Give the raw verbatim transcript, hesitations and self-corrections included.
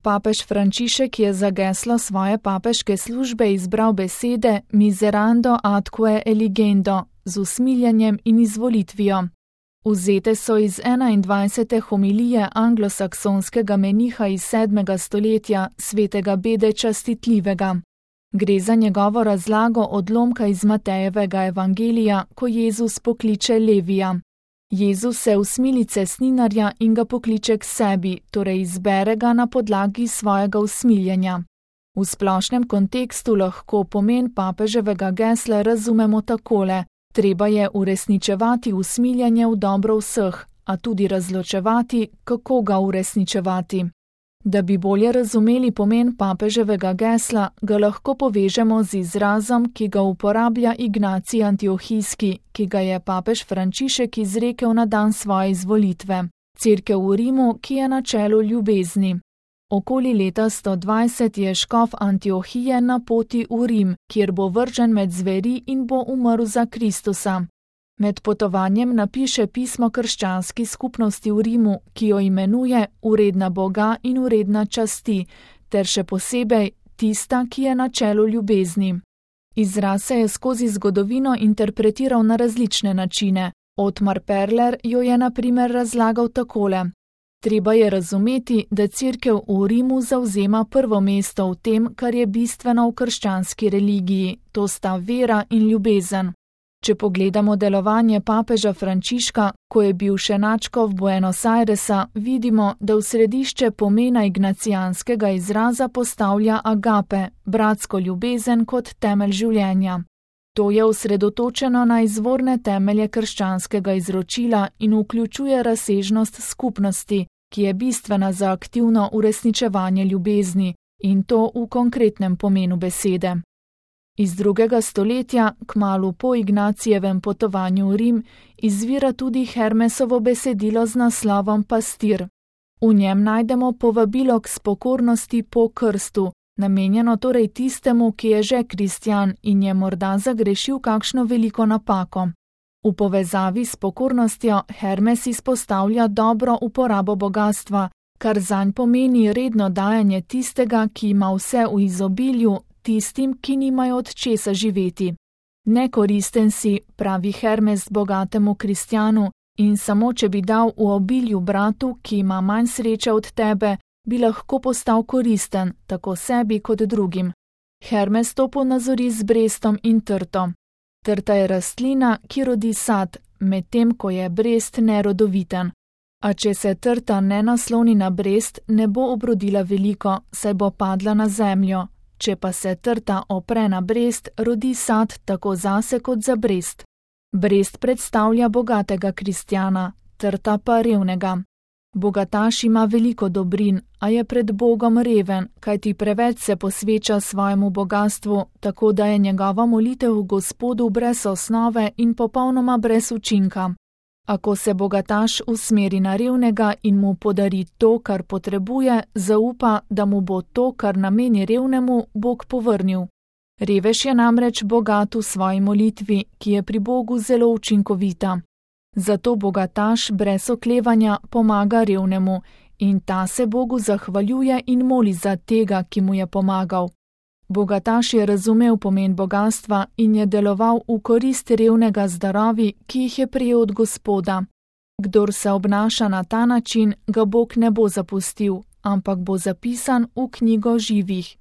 Papež Frančišek je za geslo svoje papeške službe izbral besede miserando atque eligendo z usmiljenjem in izvolitvijo. Vzete so iz enaindvajsete homilije anglosaksonskega meniha iz sedmega stoletja, svetega Bede Častitljivega. Gre za njegovo razlago odlomka iz Matejevega evangelija, ko Jezus pokliče Levija. Jezus se usmili cestninarja in ga pokliče k sebi, torej izbere ga na podlagi svojega usmiljenja. V splošnem kontekstu lahko pomen papeževega gesla razumemo takole: treba je uresničevati usmiljenje v dobro vseh, a tudi razločevati, kako ga uresničevati. Da bi bolje razumeli pomen papeževega gesla, ga lahko povežemo z izrazom, ki ga uporablja Ignacij Antiohijski, ki ga je papež Frančišek izrekel na dan svoje izvolitve. Cerkev v Rimu, ki je na čelu ljubezni. Okoli leta sto dvajset je škof Antiohije na poti v Rim, kjer bo vržen med zveri in bo umrl za Kristusa. Med potovanjem napiše pismo krščanski skupnosti v Rimu, ki jo imenuje Uredna Boga in uredna časti, ter še posebej tista, ki je na čelu ljubezni. Izraz se je skozi zgodovino interpretiral na različne načine. Otmar Perler jo je na primer razlagal takole: treba je razumeti, da cerkev v Rimu zavzema prvo mesto v tem, kar je bistveno v krščanski religiji, to sta vera in ljubezen. Če pogledamo delovanje papeža Frančiška, ko je bil še nadškof Buenos Airesa, vidimo, da v središče pomena ignacijanskega izraza postavlja agape, bratsko ljubezen kot temelj življenja. To je osredotočeno na izvorne temelje krščanskega izročila in vključuje razsežnost skupnosti, ki je bistvena za aktivno uresničevanje ljubezni, in to v konkretnem pomenu besede. Iz drugega stoletja, kmalu po Ignacijevem potovanju v Rim, izvira tudi Hermesovo besedilo z naslovom Pastir. V njem najdemo povabilo k spokornosti po krstu, namenjeno torej tistemu, ki je že kristjan in je morda zagrešil kakšno veliko napako. V povezavi s pokornostjo Hermes izpostavlja dobro uporabo bogastva, kar zanj pomeni redno dajanje tistega, ki ima vse v izobilju, tistim, ki nimajo od česa živeti. Nekoristen si, pravi Hermes bogatemu kristjanu, in samo če bi dal v obilju bratu, ki ima manj sreče od tebe, bi lahko postal koristen, tako sebi kot drugim. Hermes to ponazori z brestom in trto. Trta je rastlina, ki rodi sad, medtem ko je brest nerodoviten. A če se trta ne nasloni na brest, ne bo obrodila veliko, saj bo padla na zemljo. Če pa se trta opre na brest, rodi sad tako zase kot za brest. Brest predstavlja bogatega kristjana, trta pa revnega. Bogataš ima veliko dobrin, a je pred Bogom reven, kajti preveč se posveča svojemu bogastvu, tako da je njegova molitev Gospodu brez osnove in popolnoma brez učinka. Ako se bogataš usmeri na revnega in mu podari to, kar potrebuje, zaupa, da mu bo to, kar nameni revnemu, Bog povrnil. Revež je namreč bogat v svoji molitvi, ki je pri Bogu zelo učinkovita. Zato bogataš brez oklevanja pomaga revnemu in ta se Bogu zahvaljuje in moli za tega, ki mu je pomagal. Bogataš je razumel pomen bogastva in je deloval v korist revnega z darovi, ki jih je prejel od Gospoda. Kdor se obnaša na ta način, ga Bog ne bo zapustil, ampak bo zapisan v knjigo živih.